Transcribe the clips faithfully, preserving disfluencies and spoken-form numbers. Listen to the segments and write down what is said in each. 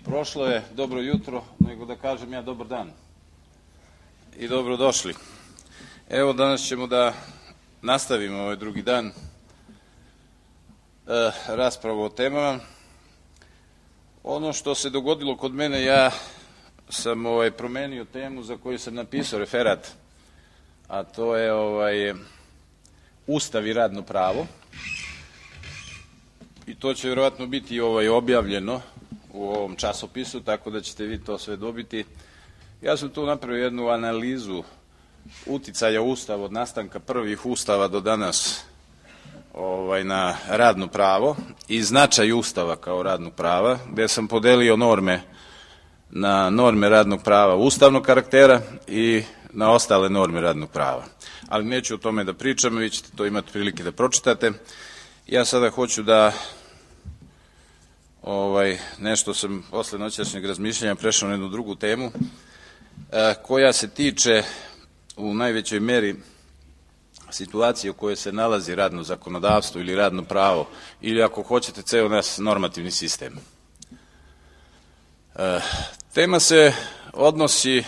Prošlo je dobro jutro, nego da kažem ja dobar dan i dobrodošli. Evo danas ćemo da nastavimo ovaj drugi dan e, raspravu o temama. Ono što se dogodilo kod mene, ja sam ovaj, promenio temu za koju sam napisao referat, a to je ovaj, Ustav i radno pravo. I to će vjerovatno biti ovaj, objavljeno u ovom časopisu, tako da ćete vi to sve dobiti. Ja sam tu napravio jednu analizu uticaja Ustava od nastanka prvih Ustava do danas ovaj, na radno pravo i značaj Ustava kao radnog prava, gdje sam podelio norme na norme radnog prava ustavnog karaktera i na ostale norme radnog prava. Ali neću o tome da pričam, vi ćete to imati prilike da pročitate. Ja sada hoću da ovaj, nešto sam posle noćašnjeg razmišljanja prešao na jednu drugu temu e, koja se tiče u najvećoj meri situacije u kojoj se nalazi radno zakonodavstvo ili radno pravo ili ako hoćete ceo nas normativni sistem. E, tema se odnosi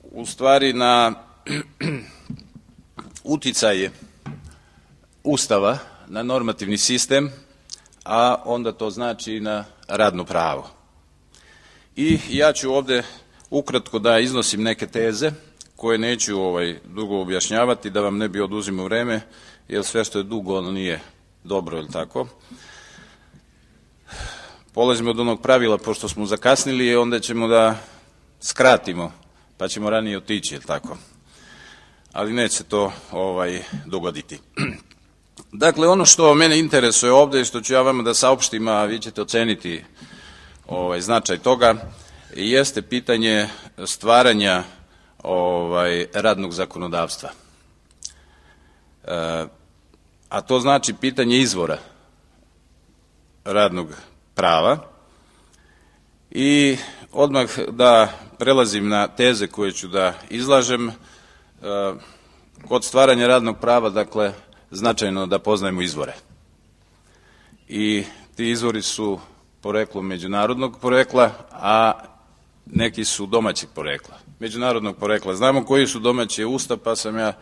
u stvari na uticaje Ustava na normativni sistem, a onda to znači i na radno pravo. I ja ću ovde ukratko da iznosim neke teze koje neću ovaj, dugo objašnjavati, da vam ne bi oduzimao vreme, jer sve što je dugo ono nije dobro, je li tako? Polazimo od onog pravila, pošto smo zakasnili, onda ćemo da skratimo, pa ćemo ranije otići, je li tako? Ali neće se to ovaj, dogoditi. Dakle, ono što mene interesuje ovde i što ću ja vama da saopštim, a vi ćete oceniti ovaj, značaj toga, jeste pitanje stvaranja ovaj, radnog zakonodavstva. E, a to znači pitanje izvora radnog prava. I odmah da prelazim na teze koje ću da izlažem. E, kod stvaranja radnog prava, dakle, značajno da poznajemo izvore. I ti izvori su poreklom međunarodnog porekla, a neki su domaćeg porekla. Međunarodnog porekla. Znamo koji su domaći Ustav, pa sam ja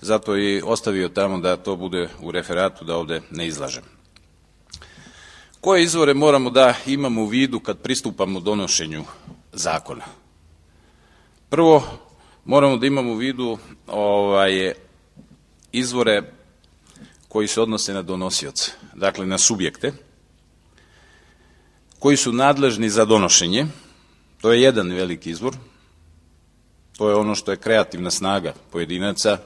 zato i ostavio tamo da to bude u referatu, da ovde ne izlažem. Koje izvore moramo da imamo u vidu kad pristupamo donošenju zakona? Prvo, moramo da imamo u vidu ovaj, izvore koji se odnose na donosioce, dakle na subjekte, koji su nadležni za donošenje. To je jedan veliki izvor. To je ono što je kreativna snaga pojedinaca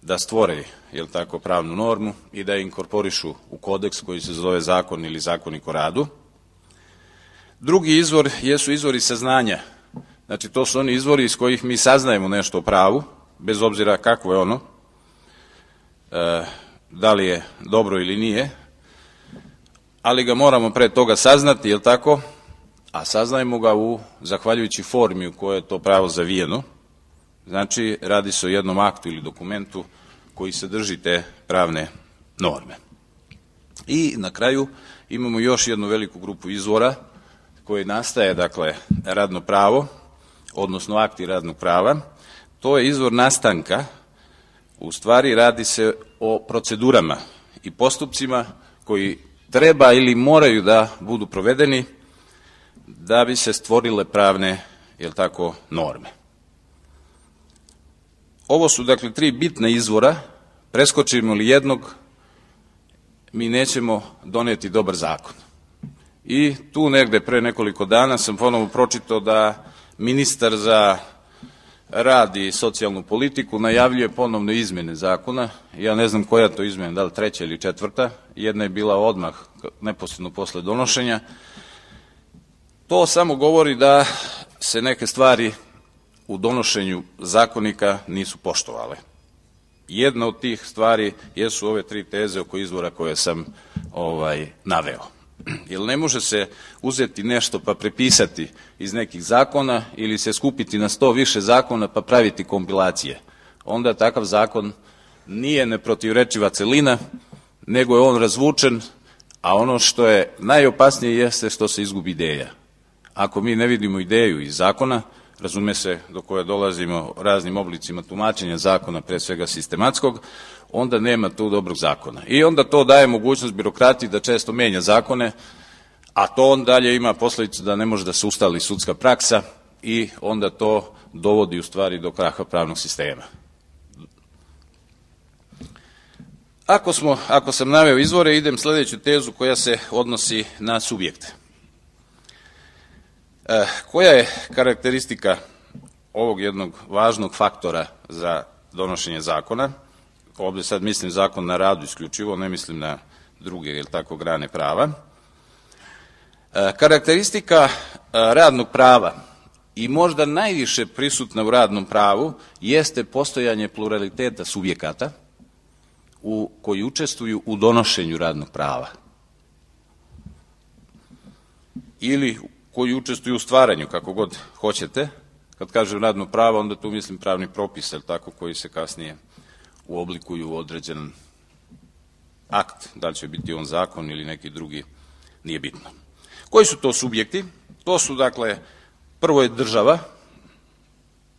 da stvore, jel tako, pravnu normu i da je inkorporišu u kodeks koji se zove zakon ili zakonik o radu. Drugi izvor jesu izvori saznanja. Znači, to su oni izvori iz kojih mi saznajemo nešto o pravu, bez obzira kakvo je ono, e, da li je dobro ili nije, ali ga moramo pre toga saznati, jel tako? A saznajemo ga u zahvaljujući formi u kojoj je to pravo zavijeno. Znači, radi se o jednom aktu ili dokumentu koji sadrži te pravne norme. I na kraju imamo još jednu veliku grupu izvora koji nastaje, dakle, radno pravo, odnosno akti radnog prava. To je izvor nastanka. U stvari radi se o procedurama i postupcima koji treba ili moraju da budu provedeni da bi se stvorile pravne, jel tako, norme. Ovo su, dakle, tri bitna izvora. Preskočimo li jednog, mi nećemo doneti dobar zakon. I tu negde pre nekoliko dana sam ponovo pročitao da ministar za rad i socijalnu politiku najavljuje ponovno izmene zakona. Ja ne znam koja to izmena, da li treća ili četvrta. Jedna je bila odmah, neposredno posle donošenja. To samo govori da se neke stvari u donošenju zakonika nisu poštovale. Jedna od tih stvari jesu ove tri teze oko izvora koje sam ovaj, naveo. Jer ne može se uzeti nešto pa prepisati iz nekih zakona ili se skupiti na sto više zakona pa praviti kompilacije. Onda takav zakon nije neprotivrečiva celina, nego je on razvučen, a ono što je najopasnije jeste što se izgubi ideja. ako mi ne vidimo ideju iz zakona, razume se, do koje dolazimo raznim oblicima tumačenja zakona, pre svega sistematskog, onda nema tu dobrog zakona. I onda to daje mogućnost birokratiji da često menja zakone, a to on dalje ima posledicu da ne može da se ustali sudska praksa i onda to dovodi u stvari do kraha pravnog sistema. Ako, smo, ako sam naveo izvore, idem sljedeću tezu koja se odnosi na subjekte. E, koja je karakteristika ovog jednog važnog faktora za donošenje zakona? Ovdje sad mislim zakon na radu isključivo, ne mislim na druge, jel tako, grane prava. E, karakteristika e, radnog prava i možda najviše prisutna u radnom pravu jeste postojanje pluraliteta subjekata u, koji učestvuju u donošenju radnog prava ili koji učestvuju u stvaranju, kako god hoćete. Kad kažem radno pravo, onda tu mislim pravni propis, jel tako, koji se kasnije uoblikuju u određen akt, da li će biti on zakon ili neki drugi, nije bitno. Koji su to subjekti? To su, dakle, prvo je država,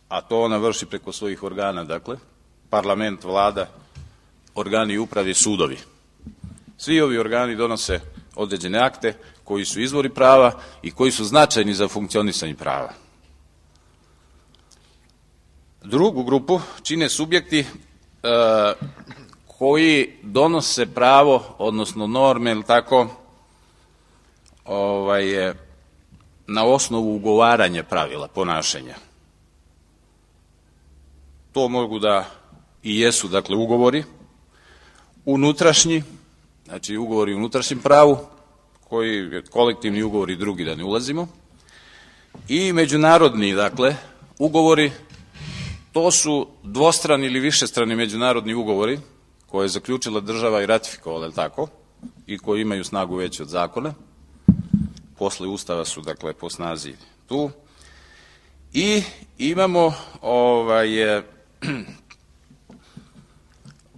a to ona vrši preko svojih organa, dakle, parlament, vlada, organi uprave, sudovi. Svi ovi organi donose određene akte koji su izvori prava i koji su značajni za funkcionisanje prava. Drugu grupu čine subjekti e, koji donose pravo, odnosno norme, ili tako, ovaj, na osnovu ugovaranja pravila ponašanja. To mogu da i jesu, dakle, ugovori unutrašnji, znači ugovori u unutrašnjem pravu, koji kolektivni ugovori, drugi da ne ulazimo, i međunarodni, dakle, ugovori. To su dvostrani ili višestrani međunarodni ugovori koje je zaključila država i ratifikovala, je li tako, i koji imaju snagu veću od zakona. Posle Ustava su, dakle, po snazi tu. I imamo ovaj,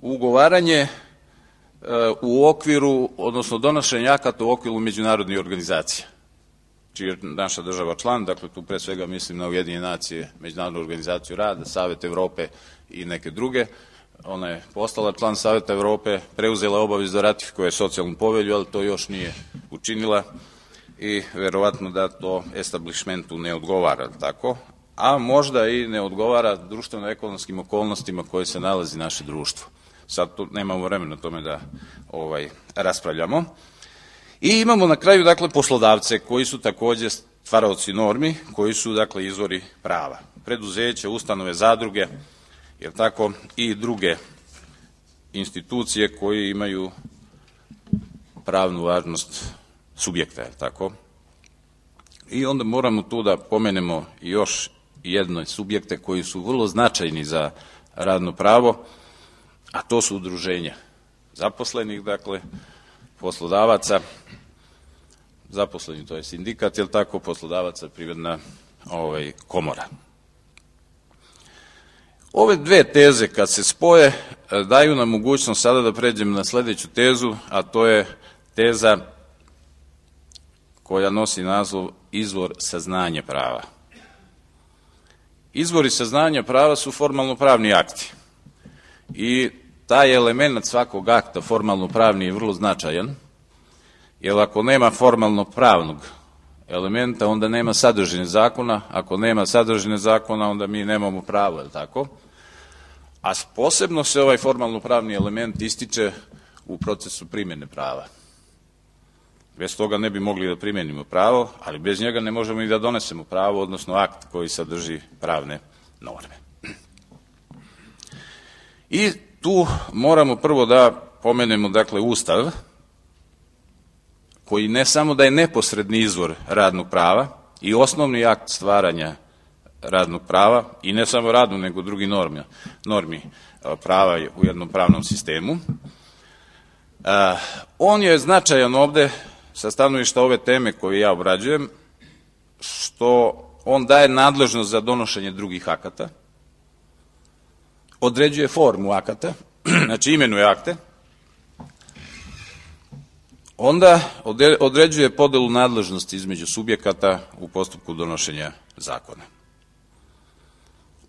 ugovaranje u okviru, odnosno donošenje akata u okviru međunarodnih organizacija, čiji je naša država član, dakle tu pre svega mislim na Ujedinjene nacije, Međunarodnu organizaciju rada, Savet Evrope i neke druge. Ona je postala član Saveta Evrope, preuzela obavezu da ratifikuje socijalnu povelju, ali to još nije učinila i verovatno da to establishmentu ne odgovara, tako, a možda i ne odgovara društveno-ekonomskim okolnostima koje se nalazi naše društvo. Sad tu nemamo vremena tome da ovaj, raspravljamo. I imamo na kraju, dakle, poslodavce koji su takođe stvaraoci normi, koji su, dakle, izvori prava. Preduzeće, ustanove, zadruge, jer tako, i druge institucije koje imaju pravnu važnost subjekta, jer tako. I onda moramo tu da pomenemo još jedne subjekte koji su vrlo značajni za radno pravo, a to su udruženja zaposlenih, dakle, poslodavaca, zaposleni, to je sindikat, jel tako, poslodavaca, privredna ovaj, komora. Ove dve teze kad se spoje daju nam mogućnost sada da pređem na sledeću tezu, a to je teza koja nosi naslov izvor saznanja prava. Izvori saznanja prava su formalno pravni akti i taj element svakog akta formalno pravni je vrlo značajan, jer ako nema formalno pravnog elementa, onda nema sadržine zakona, ako nema sadržine zakona, onda mi nemamo pravo, je li tako? A posebno se ovaj formalno pravni element ističe u procesu primjene prava. Bez toga ne bi mogli da primenimo pravo, ali bez njega ne možemo i da donesemo pravo, odnosno akt koji sadrži pravne norme. I tu moramo prvo da pomenemo, dakle, Ustav, koji ne samo da je neposredni izvor radnog prava i osnovni akt stvaranja radnog prava, i ne samo radnog, nego drugi normi, normi prava u jednom pravnom sistemu. On je značajan ovde sa stanovišta ove teme koju ja obrađujem, što on daje nadležnost za donošenje drugih akata, određuje formu akata, znači imenuje akte, onda određuje podelu nadležnosti između subjekata u postupku donošenja zakona.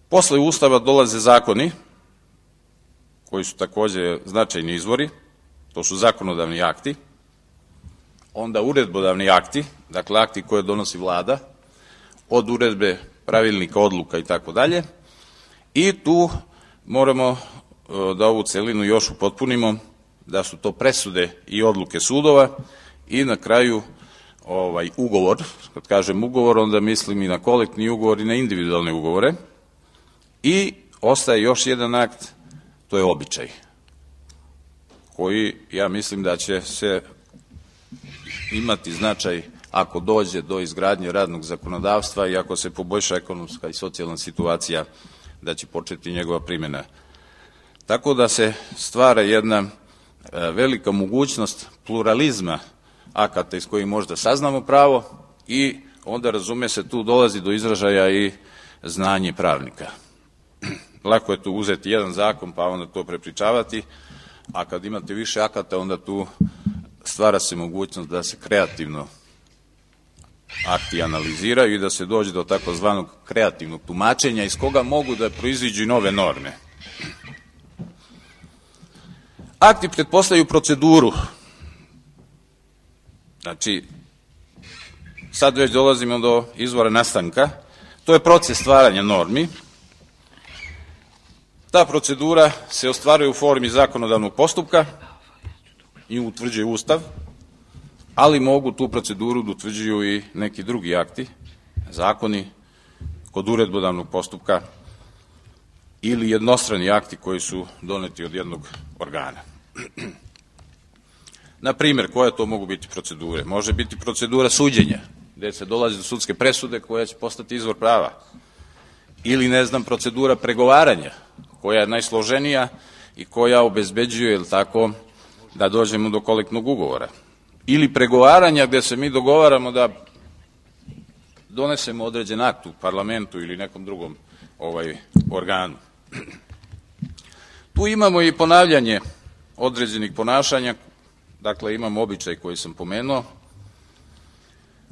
Posle Ustava dolaze zakoni, koji su takođe značajni izvori, to su zakonodavni akti, onda uredbodavni akti, dakle akti koje donosi vlada, od uredbe, pravilnika, odluka i tako dalje, i tu moramo da ovu celinu još upotpunimo, da su to presude i odluke sudova i na kraju ovaj ugovor, kad kažem ugovor, onda mislim i na kolektivni ugovor i na individualne ugovore, i ostaje još jedan akt, to je običaj, koji ja mislim da će se imati značaj ako dođe do izgradnje radnog zakonodavstva i ako se poboljša ekonomska i socijalna situacija, da će početi njegova primjena. Tako da se stvara jedna velika mogućnost pluralizma akata iz kojih možda saznamo pravo i onda, razume se, tu dolazi do izražaja i znanje pravnika. Lako je tu uzeti jedan zakon pa onda to prepričavati, a kad imate više akata onda tu stvara se mogućnost da se kreativno akti analiziraju i da se dođe do takozvanog kreativnog tumačenja iz koga mogu da proiziđu i nove norme. Akti pretpostavljaju proceduru. Znači, sad već dolazimo do izvora nastanka. To je proces stvaranja normi. Ta procedura se ostvaruje u formi zakonodavnog postupka i utvrđuje Ustav, ali mogu tu proceduru da utvrđuju i neki drugi akti, zakoni, kod uredbodavnog postupka ili jednostrani akti koji su doneti od jednog organa. Na primjer, koje to mogu biti procedure? Može biti procedura suđenja, gde se dolazi do sudske presude koja će postati izvor prava. Ili, ne znam, procedura pregovaranja, koja je najsloženija i koja obezbeđuje, ili tako, da dođemo do kolektivnog ugovora. Ili pregovaranja gde se mi dogovaramo da donesemo određen akt u parlamentu ili nekom drugom ovaj organu. Tu imamo i ponavljanje određenih ponašanja, dakle imamo običaj koji sam pomenuo,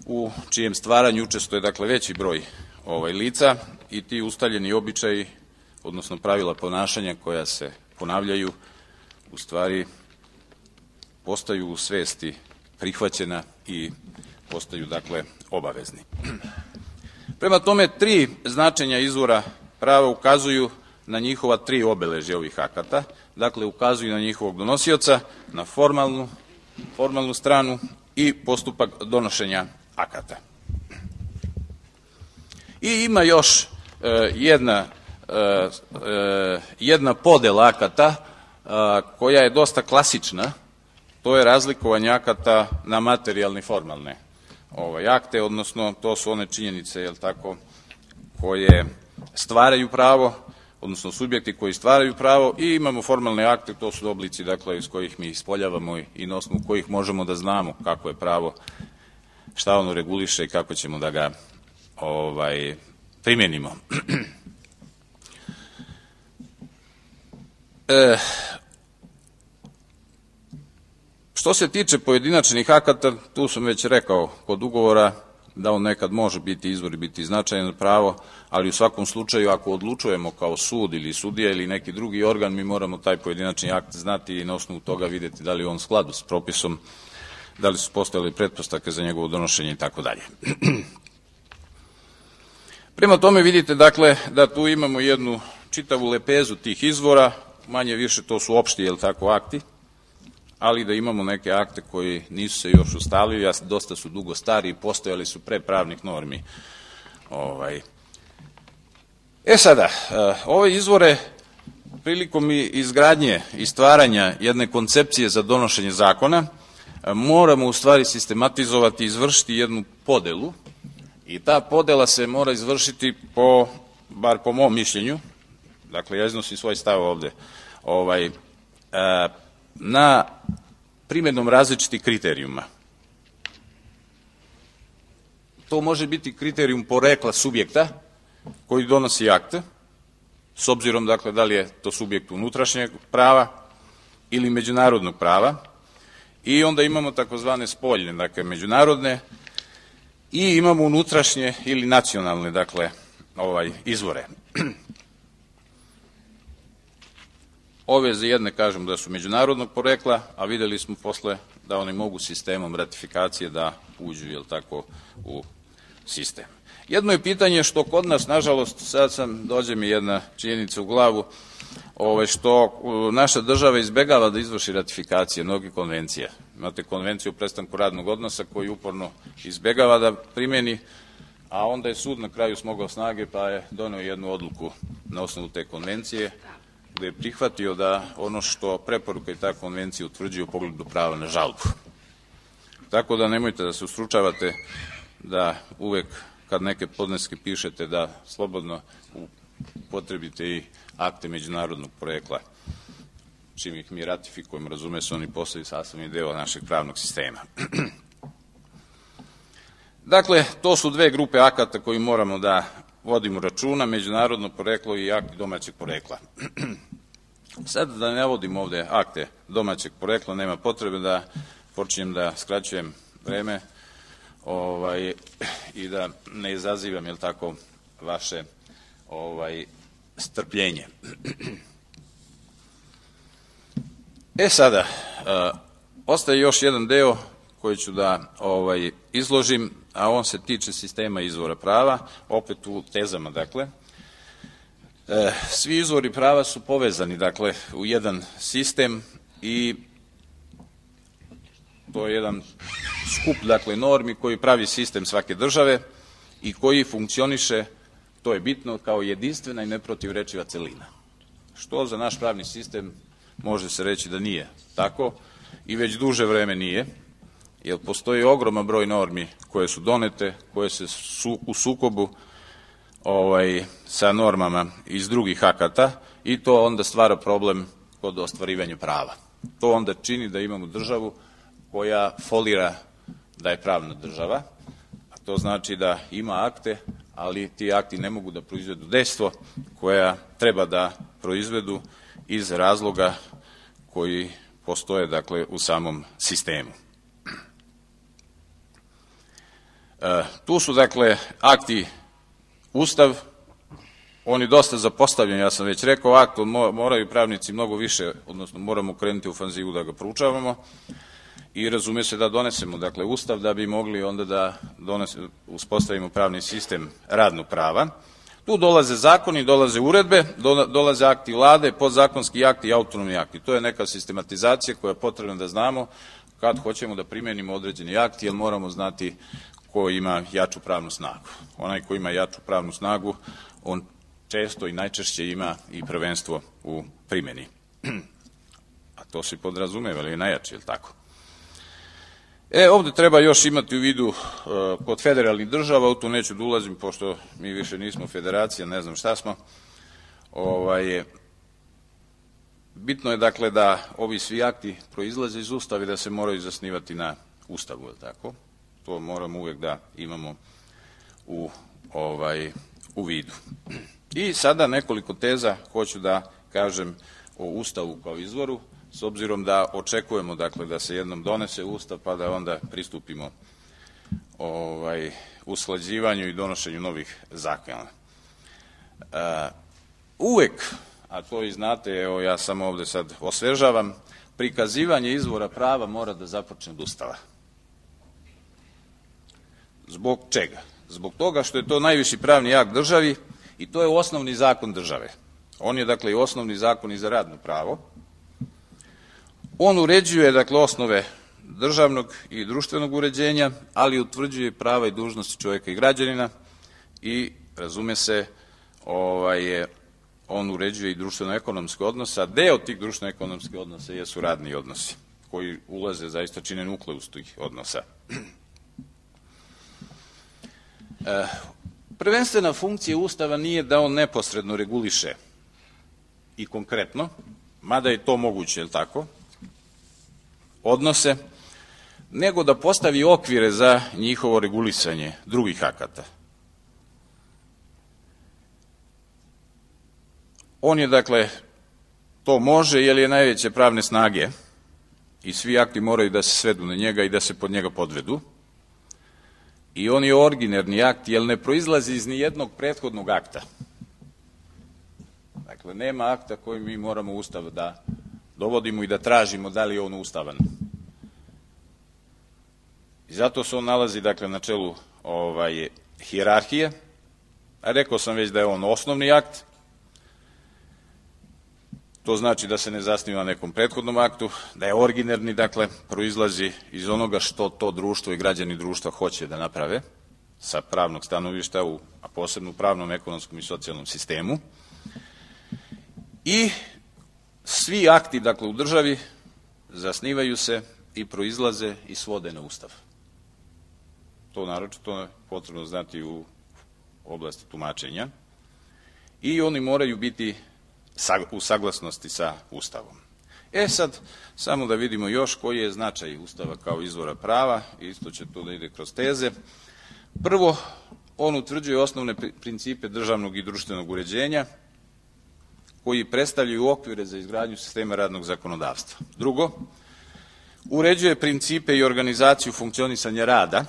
u čijem stvaranju učestvuje dakle veći broj ovaj lica i ti ustaljeni običaji, odnosno pravila ponašanja koja se ponavljaju, u stvari postaju u svesti prihvaćena i postaju dakle obavezni. Prema tome, tri značenja izvora prava ukazuju na njihova tri obeležja ovih akata, dakle ukazuju na njihovog donosioca, na formalnu, formalnu stranu i postupak donošenja akata. I ima još e, jedna, e, e, jedna podela akata e, koja je dosta klasična, to je razlikovanje akata na materijalne i formalne ovaj, akte, odnosno to su one činjenice, jel tako, koje stvaraju pravo, odnosno subjekti koji stvaraju pravo, i imamo formalne akte, to su oblici dakle iz kojih mi ispoljavamo i na osnovu kojih možemo da znamo kako je pravo, šta ono reguliše i kako ćemo da ga ovaj, primjenimo. e, što se tiče pojedinačnih akata, tu sam već rekao kod ugovora da on nekad može biti izvor i biti značajan pravo, ali u svakom slučaju ako odlučujemo kao sud ili sudija ili neki drugi organ, mi moramo taj pojedinačni akt znati i na osnovu toga vidjeti da li je on u skladu s propisom, da li su postojale pretpostavke za njegovo donošenje i tako dalje. Prema tome vidite dakle da tu imamo jednu čitavu lepezu tih izvora, manje više to su opšti, jel tako, akti, ali da imamo neke akte koji nisu se još ustalili, a dosta su dugo stari i postojali su pre pravnih normi. Ovaj. E sada, ove izvore prilikom izgradnje i stvaranja jedne koncepcije za donošenje zakona moramo u stvari sistematizovati i izvršiti jednu podelu, i ta podela se mora izvršiti po, bar po mom mišljenju, dakle ja iznosim svoj stav ovde, ovaj, a, na primjenom različitih kriterijuma. To može biti kriterijum porekla subjekta koji donosi akte, s obzirom dakle da li je to subjekt unutrašnjeg prava ili međunarodnog prava, I onda imamo takozvane spoljne, dakle međunarodne, i imamo unutrašnje ili nacionalne, dakle, ovaj, izvore. Ove za jedne kažem da su međunarodnog porekla, a videli smo posle da oni mogu sistemom ratifikacije da uđu, jel tako, u sistem. Jedno je pitanje što kod nas, nažalost, sad sam, dođe mi jedna činjenica u glavu, ovaj, što naša država izbegava da izvrši ratifikacije mnogih konvencija. Imate konvenciju o prestanku radnog odnosa koji uporno izbegava da primjeni, a onda je sud na kraju smogao snage pa je doneo jednu odluku na osnovu te konvencije gde je prihvatio da ono što preporuka i ta konvencija utvrđuje u pogledu prava na žalbu. Tako da nemojte da se ustručavate da uvek kad neke podneske pišete da slobodno upotrebite i akte međunarodnog porekla. Čim ih mi ratifikujemo, razume se, oni postaju sastavni deo našeg pravnog sistema. Dakle, to su dve grupe akata koji moramo da vodimo računa, međunarodno poreklo i akti domaćeg porekla. Sad da ne vodim ovde akte domaćeg porekla, nema potrebe da počinjem da skraćujem vreme ovaj, i da ne izazivam, jel tako, vaše ovaj, strpljenje. E sada, uh, ostaje još jedan deo koji ću da ovaj, izložim, a on se tiče sistema izvora prava, opet u tezama, dakle. E, svi izvori prava su povezani, dakle, u jedan sistem i to je jedan skup, dakle, normi koji pravi sistem svake države i koji funkcioniše, to je bitno, kao jedinstvena i neprotivrečiva celina. Što za naš pravni sistem može se reći da nije tako i već duže vreme nije, jer postoji ogroman broj normi koje su donete, koje se su u sukobu ovaj, sa normama iz drugih akata i to onda stvara problem kod ostvarivanja prava. To onda čini da imamo državu koja folira da je pravna država, a to znači da ima akte, ali ti akti ne mogu da proizvedu dejstvo koja treba da proizvedu iz razloga koji postoje, dakle, u samom sistemu. E, tu su, dakle, akti Ustav, oni dosta zapostavljeni, ja sam već rekao, akt moraju pravnici mnogo više, odnosno moramo krenuti u ofanzivu da ga proučavamo i razume se da donesemo, dakle, Ustav da bi mogli onda da donesemo, uspostavimo pravni sistem radnog prava. Tu dolaze zakoni, dolaze uredbe, dolaze akti vlade, podzakonski akti i autonomni akti. To je neka sistematizacija koja je potrebna da znamo kad hoćemo da primenimo određeni akti, jer moramo znati ko ima jaču pravnu snagu. Onaj ko ima jaču pravnu snagu, on često i najčešće ima i prvenstvo u primjeni. A to se podrazumeva, ali je najjači, je li tako? E, ovde treba još imati u vidu uh, kod federalnih država, u to neću da ulazim, pošto mi više nismo federacija, ne znam šta smo. Ovaj, bitno je, dakle, da ovi svi akti proizlaze iz Ustava i da se moraju zasnivati na Ustavu, je li tako? To moramo uvek da imamo u, ovaj, u vidu. I sada nekoliko teza hoću da kažem o Ustavu kao izvoru, s obzirom da očekujemo, dakle, da se jednom donese Ustav pa da onda pristupimo ovaj, usklađivanju i donošenju novih zakona. E, uvek, a to i znate, evo ja samo ovde sad osvežavam, prikazivanje izvora prava mora da započne od Ustava. Zbog čega? Zbog toga što je to najviši pravni akt državi i to je osnovni zakon države. On je, dakle, i osnovni zakon i za radno pravo. On uređuje, dakle, osnove državnog i društvenog uređenja, ali utvrđuje prava i dužnosti čovjeka i građanina i, razume se, ovaj, on uređuje i društveno-ekonomske odnose, a deo tih društveno-ekonomskih odnosa jesu radni odnosi, koji ulaze, zaista čine nukleus tih odnosa. E, prvenstvena funkcija Ustava nije da on neposredno reguliše i konkretno, mada je to moguće, je li tako, odnose, nego da postavi okvire za njihovo regulisanje drugih akata. On je, dakle, to može, jer je najveće pravne snage i svi akti moraju da se svedu na njega i da se pod njega podvedu. I on je originarni akt, jer ne proizlazi iz nijednog prethodnog akta. Dakle, nema akta koji mi moramo u Ustav da dovodimo i da tražimo da li je on ustavan. I zato se on nalazi, dakle, na čelu ovaj, hijerarhije. A rekao sam već da je on osnovni akt. To znači da se ne zasniva na nekom prethodnom aktu, da je originarni, dakle, proizlazi iz onoga što to društvo i građani društva hoće da naprave sa pravnog stanovišta, u, a posebno u pravnom, ekonomskom i socijalnom sistemu. I svi akti, dakle, u državi zasnivaju se i proizlaze i svode na Ustav. To naročito je potrebno znati u oblasti tumačenja. I oni moraju biti u saglasnosti sa Ustavom. E sad, samo da vidimo još koji je značaj Ustava kao izvora prava, isto će to da ide kroz teze. Prvo, on utvrđuje osnovne principe državnog i društvenog uređenja, koji predstavljaju okvire za izgradnju sistema radnog zakonodavstva. Drugo, uređuje principe i organizaciju funkcionisanja rada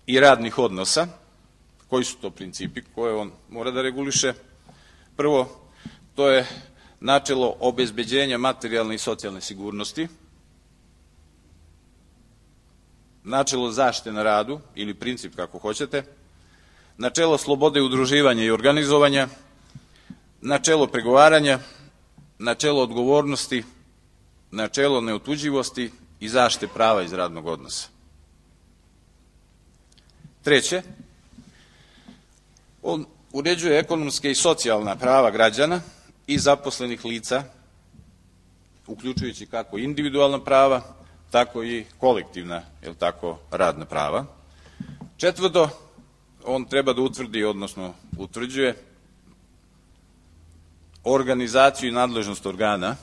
i radnih odnosa. Koji su to principi koje on mora da reguliše? Prvo, to je načelo obezbeđenja materijalne i socijalne sigurnosti, načelo zaštite na radu, ili princip kako hoćete, načelo slobode udruživanja i organizovanja, načelo pregovaranja, načelo odgovornosti, načelo neotuđivosti i zaštite prava iz radnog odnosa. Treće, on uređuje ekonomske i socijalna prava građana i zaposlenih lica, uključujući kako individualna prava, tako i kolektivna, jel tako, radna prava. Četvrto, on treba da utvrdi, odnosno utvrđuje organizaciju i nadležnost organa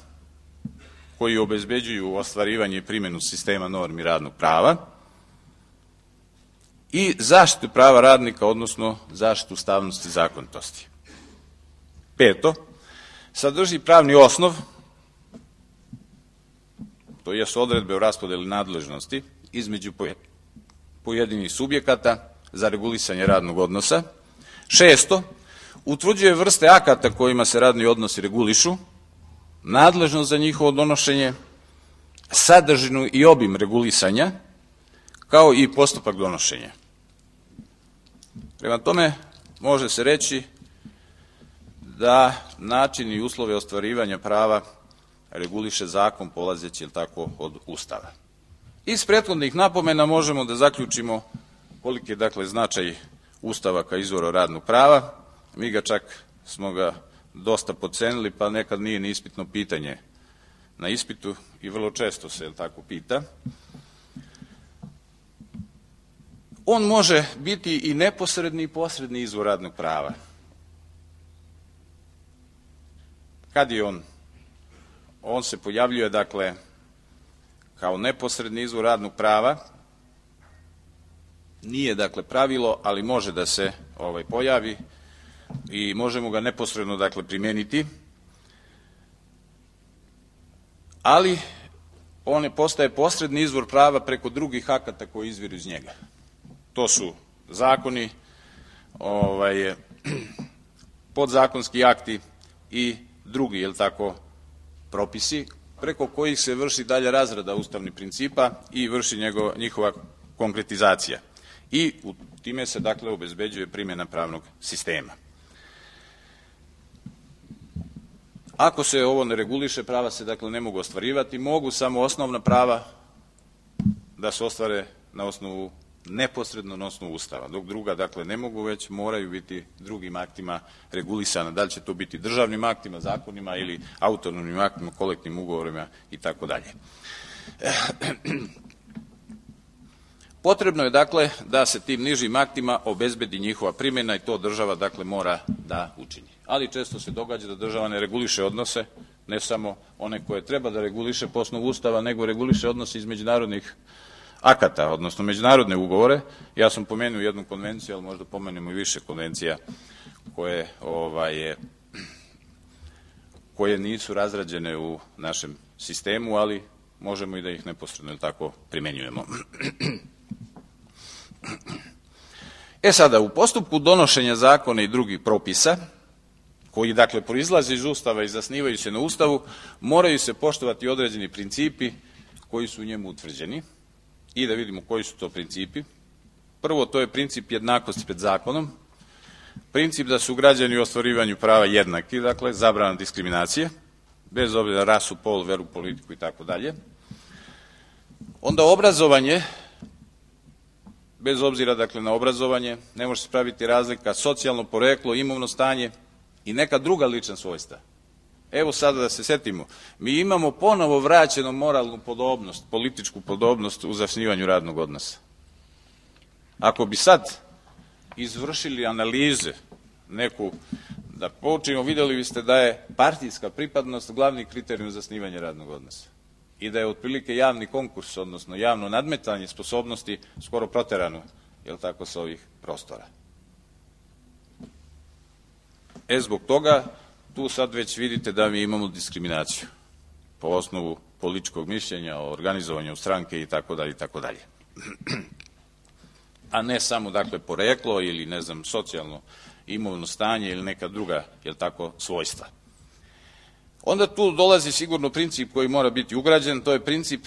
koji obezbeđuju ostvarivanje i primjenu sistema normi radnog prava i zaštitu prava radnika, odnosno zaštitu ustavnosti i zakonitosti. Peto, sadrži pravni osnov, to jesu odredbe o raspodeli nadležnosti između pojedinih subjekata za regulisanje radnog odnosa. Šesto, utvrđuje vrste akata kojima se radni odnosi regulišu, nadležnost za njihovo donošenje, sadržinu i obim regulisanja, kao i postupak donošenja. Prema tome, može se reći da način i uslove ostvarivanja prava reguliše zakon polazeći, tako, od Ustava. Iz prethodnih napomena možemo da zaključimo koliki je, dakle, značaj Ustava kao izvora radnog prava. Mi ga čak smo ga dosta podcenili, pa nekad nije ni ispitno pitanje na ispitu i vrlo često se tako pita. On može biti i neposredni i posredni izvor radnog prava. Kad je on? On se pojavljuje, dakle, kao neposredni izvor radnog prava. Nije, dakle, pravilo, ali može da se ovaj, pojavi i možemo ga neposredno, dakle, primijeniti. Ali on je postaje posredni izvor prava preko drugih akata koji izviru iz njega. To su zakoni, ovaj, podzakonski akti i drugi, jel tako, propisi, preko kojih se vrši dalja razrada ustavnih principa i vrši njegov, njihova konkretizacija. I u time se, dakle, obezbeđuje primjena pravnog sistema. Ako se ovo ne reguliše, prava se, dakle, ne mogu ostvarivati, mogu samo osnovna prava da se ostvare na osnovu, neposredno na osnovu Ustava, dok druga, dakle, ne mogu, već moraju biti drugim aktima regulisana. Da li će to biti državnim aktima, zakonima ili autonomnim aktima, kolektivnim ugovorima i tako dalje. Potrebno je, dakle, da se tim nižim aktima obezbedi njihova primjena i to država, dakle, mora da učini. Ali često se događa da država ne reguliše odnose, ne samo one koje treba da reguliše po osnovu Ustava, nego reguliše odnose iz međunarodnih akata, odnosno međunarodne ugovore. Ja sam pomenuo jednu konvenciju, ali možda pomenemo i više konvencija koje, ovaj, koje nisu razrađene u našem sistemu, ali možemo i da ih neposredno tako primenjujemo. E sada, u postupku donošenja zakona i drugih propisa, koji dakle proizlaze iz Ustava i zasnivaju se na Ustavu, moraju se poštovati određeni principi koji su u njemu utvrđeni. I da vidimo koji su to principi. Prvo, to je princip jednakosti pred zakonom, princip da su građani u ostvarivanju prava jednaki, dakle zabrana diskriminacije, bez obzira na rasu, pol, veru, politiku i tako dalje. Onda obrazovanje, bez obzira dakle na obrazovanje, ne može se praviti razlika socijalno poreklo, imovno stanje i neka druga lična svojstva. Evo sada da se setimo, mi imamo ponovo vraćenu moralnu podobnost, političku podobnost u zasnivanju radnog odnosa. Ako bi sad izvršili analize neku, da poučimo, vidjeli biste da je partijska pripadnost glavni kriterijum za zasnivanje radnog odnosa i da je otprilike javni konkurs, odnosno javno nadmetanje sposobnosti skoro proterano, jel tako, sa ovih prostora. E, zbog toga, tu sad već vidite da mi imamo diskriminaciju po osnovu političkog mišljenja, o organizovanju stranke i tako dalje i tako dalje. A ne samo, dakle, poreklo ili, ne znam, socijalno imovno stanje ili neka druga, jel tako, svojstva. Onda tu dolazi sigurno princip koji mora biti ugrađen, to je princip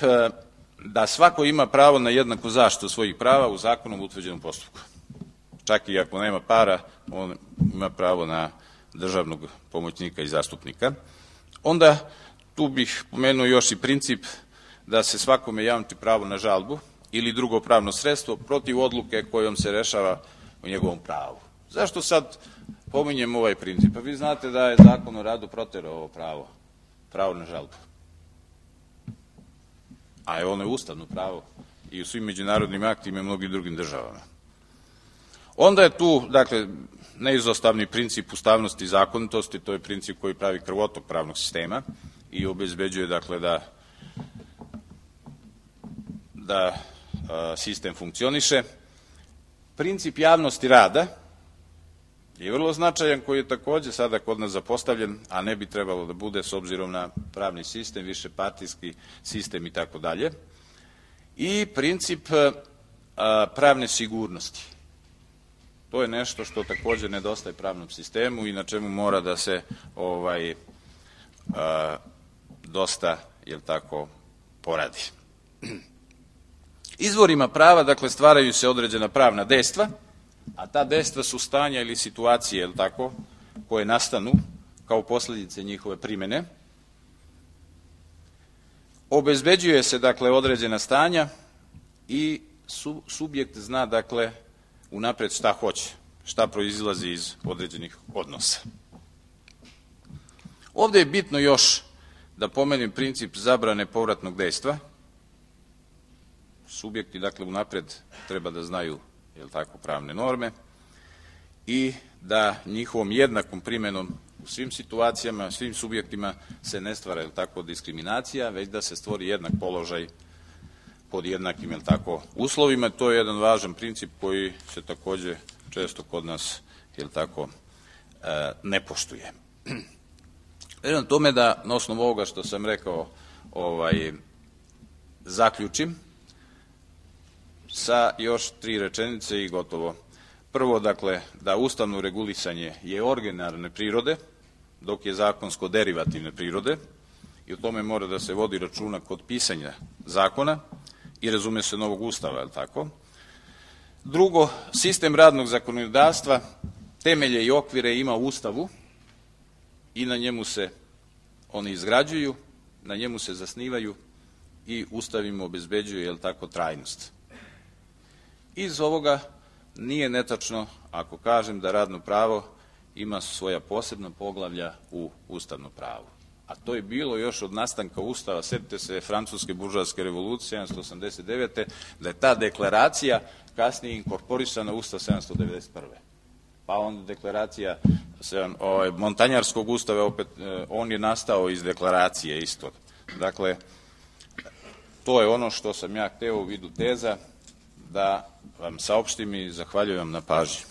da svako ima pravo na jednaku zaštitu svojih prava u zakonom utvrđenom postupku. Čak i ako nema para, on ima pravo na državnog pomoćnika i zastupnika. Onda tu bih pomenuo još i princip da se svakome jamči pravo na žalbu ili drugo pravno sredstvo protiv odluke kojom se rešava o njegovom pravu. Zašto sad pominjem ovaj princip? Pa vi znate da je Zakon o radu proterao ovo pravo, pravo na žalbu. A je ono je ustavno pravo i u svim međunarodnim aktima i mnogim drugim državama. Onda je tu, dakle, neizostavni princip ustavnosti i zakonitosti, to je princip koji pravi krvotok pravnog sistema i obezbeđuje, dakle, da, da a, sistem funkcioniše. Princip javnosti rada je vrlo značajan, koji je takođe sada kod nas zapostavljen, a ne bi trebalo da bude s obzirom na pravni sistem, više partijski sistem i tako dalje. I princip a, pravne sigurnosti. To je nešto što takođe nedostaje pravnom sistemu i na čemu mora da se ovaj, a, dosta, jel tako, poradi. Izvorima prava, dakle, stvaraju se određena pravna dejstva, a ta dejstva su stanja ili situacije, jel tako, koje nastanu kao posljedice njihove primene. Obezbeđuje se, dakle, određena stanja i su, subjekt zna, dakle, unapred šta hoće, šta proizilazi iz određenih odnosa. Ovdje je bitno još da pomenem princip zabrane povratnog dejstva. Subjekti, dakle, unapred treba da znaju, jel tako, pravne norme i da njihovom jednakom primjenom u svim situacijama, svim subjektima se ne stvara, jel tako, diskriminacija, već da se stvori jednak položaj pod jednakim, jel tako, uslovima. To je jedan važan princip koji se takođe često kod nas, jel tako, ne poštuje. Verujem tome da na osnovu ovoga što sam rekao ovaj, zaključim sa još tri rečenice i gotovo. Prvo, dakle, da ustavno regulisanje je originalne prirode, dok je zakonsko derivativne prirode i o tome mora da se vodi računa kod pisanja zakona i razume se novog ustava, je li tako? Drugo, sistem radnog zakonodavstva temelje i okvire ima u Ustavu i na njemu se oni izgrađuju, na njemu se zasnivaju i Ustav im obezbeđuje, je li tako, trajnost. Iz ovoga nije netačno ako kažem da radno pravo ima svoja posebna poglavlja u ustavnom pravu. A to je bilo još od nastanka Ustava, sjetite se Francuske buržoaske revolucije sedamsto osamdeset devete. da je ta deklaracija kasnije inkorporisana u Ustav sedamsto devedeset prve. Pa onda deklaracija ovaj, Montanjarskog ustava, opet, on je nastao iz deklaracije isto. Dakle, to je ono što sam ja hteo u vidu teza da vam saopštim i zahvaljujem na pažnji.